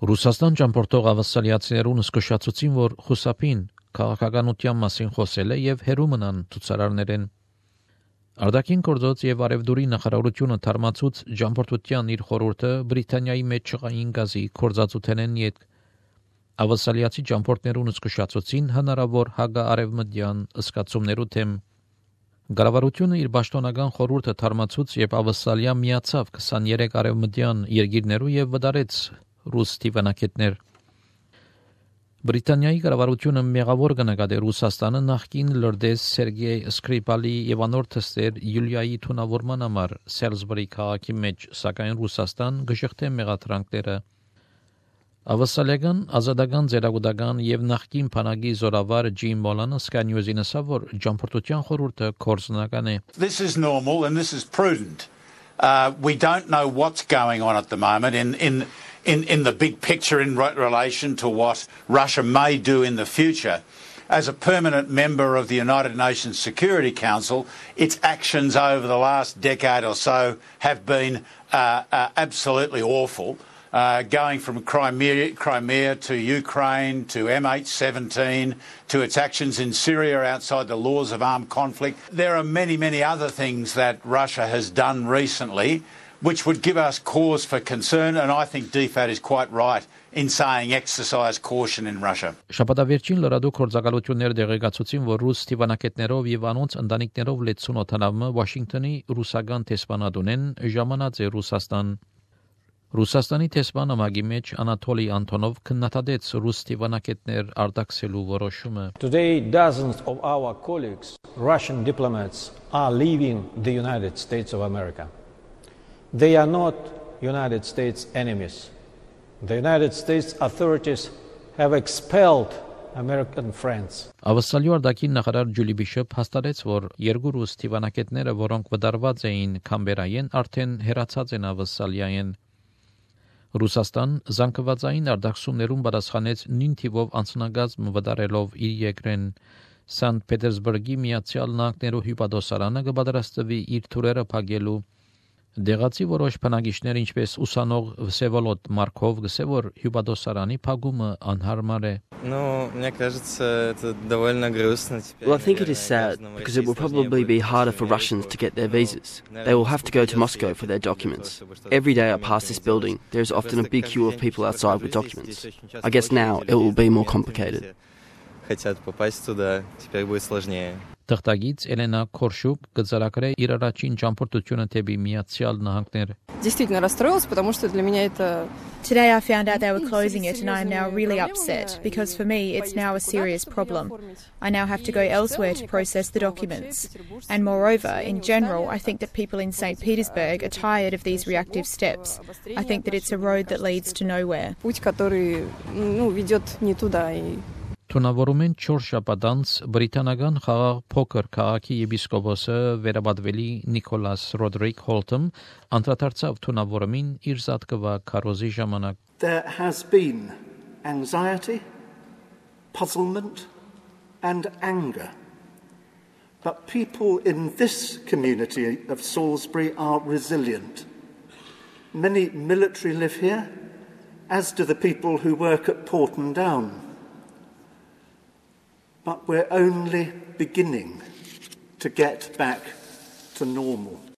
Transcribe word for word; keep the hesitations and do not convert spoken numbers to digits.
Ռուսաստան ճամփորդող ավասալիացիներուն զսկշացուցին, որ խուսափին քաղաքականության մասին խոսել է եւ հերու մնան ցուցարարներեն։ Արտաքին գործոց եւ արևդուրի նախարարությունը թարմացուց ճամփորդության իր խորհուրդը Բրիտանիայի մեջ չղային գազի կորզածութենեն յետ ավասալիացի ճամփորդներուն զսկշացուցին հնարավոր հագաարևմտյան ըսկացումներու թեմ։ Գարավարությունը իր պաշտոնական խորհուրդը թարմացուց եւ ավասալիա միացավ քսաներեք արևմտյան երկիրներու եւ վդարեց ռուս տիվանակետներ։ Բրիտանիայի կառավարությունը մեղավոր կնկատի Ռուսաստանը նախկին լրդես Սերգեյ Սկրիպալի եւ անորթստեր Յուլիայի թունավորման համար Սելզբուրի քաղաքի մեջ, սակայն Ռուսաստան գժղթե մեղադրանքները։ Ավասալիական ազատական ձերագուտական եւ նախկին փանագի զորավար Ջիմ Մոլանը Sky News-ին ասավ, որ ճամփորդության խորհուրդը կորզնական է։ This is normal and this is prudent. Uh, we don't know what's going on at the moment in in in in the big picture in re- relation to what Russia may do in the future. As a permanent member of the United Nations Security Council, its actions over the last decade or so have been uh, uh, absolutely awful. Uh, going from Crimea, Crimea to Ukraine to M H seventeen to its actions in Syria outside the laws of armed conflict. There are many, many other things that Russia has done recently which would give us cause for concern, and I think D F A T is quite right in saying exercise caution in Russia. Շաբաթավերջին լրադու կորձակալություններ դեղեկացուցին, որ ռուս տիվանակետներով եւ անոնց ընտանիքներով լեցուն օթանավը Վաշինգտոնի ռուսական տեսփանատունեն ժամանած է Ռուսաստան։ Ռուսաստանի տեսփանը մագի մեջ Անատոլի Անտոնով քննադատեց ռուս տիվանակետներ արտաքսելու որոշումը։ Today dozens of our colleagues, Russian diplomats, are leaving the United States of America. They are not United States enemies. The United States authorities have expelled American friends. Ավասալյու արտաքին նախարար Ջուլի Բիշոփ հաստատեց, որ երկու ռուս տիվանակետները, որոնք վդարված էին Կամբերայեն, արդեն հերացած են ավասալիային։ Ռուսաստան զանգվածային արտաքսումներուն պատասխանեց նույն թիվով անձնագազմ վդարելով իր երկրեն։ Սանտ Պետերսբուրգի Միացյալ Նահանգներու հյուպատոսարանը կպատրաստվի իր թուրերը փակելու։ Դեղացի որոշ բնակիչներ, ինչպես ուսանող Վսևոլոդ Մարկով, գսե որ հյուպատոսարանի փակումը անհարմար է։ Ну, мне кажется, это довольно грустно теперь. Well, I think it is sad because it will probably be harder for Russians to get their visas. They will have to go to Moscow for their documents. Every day I pass this building, there is often a big queue of people outside with documents. I guess now it will be more complicated. Хотят попасть туда, теперь будет сложнее. Թղթագից Էլենա Քորշուկ գծարակրե իր առաջին ճամփորդությունը թեպի Միացյալ Նահանգներ։ Действительно расстроилась, потому что для меня это Today I found out they were closing it and I am now really upset because for me it's now a serious problem. I now have to go elsewhere to process the documents. And moreover, in general, I think that people in Saint Petersburg are tired of these reactive steps. I think that it's a road that leads to nowhere. путь, который, ну, ведет не туда и Թունավորում են չորս շաբաթ անց բրիտանական խաղաղ փոքր քաղաքի եպիսկոպոսը վերաբադվելի Նիկոլաս Ռոդրիկ Հոլթում անդրադարձավ թունավորումին իր զատկվա քարոզի ժամանակ։ There has been anxiety, puzzlement and anger. But people in this community of Salisbury are resilient. Many military live here, as do the people who work at Porton Down. But we're only beginning to get back to normal.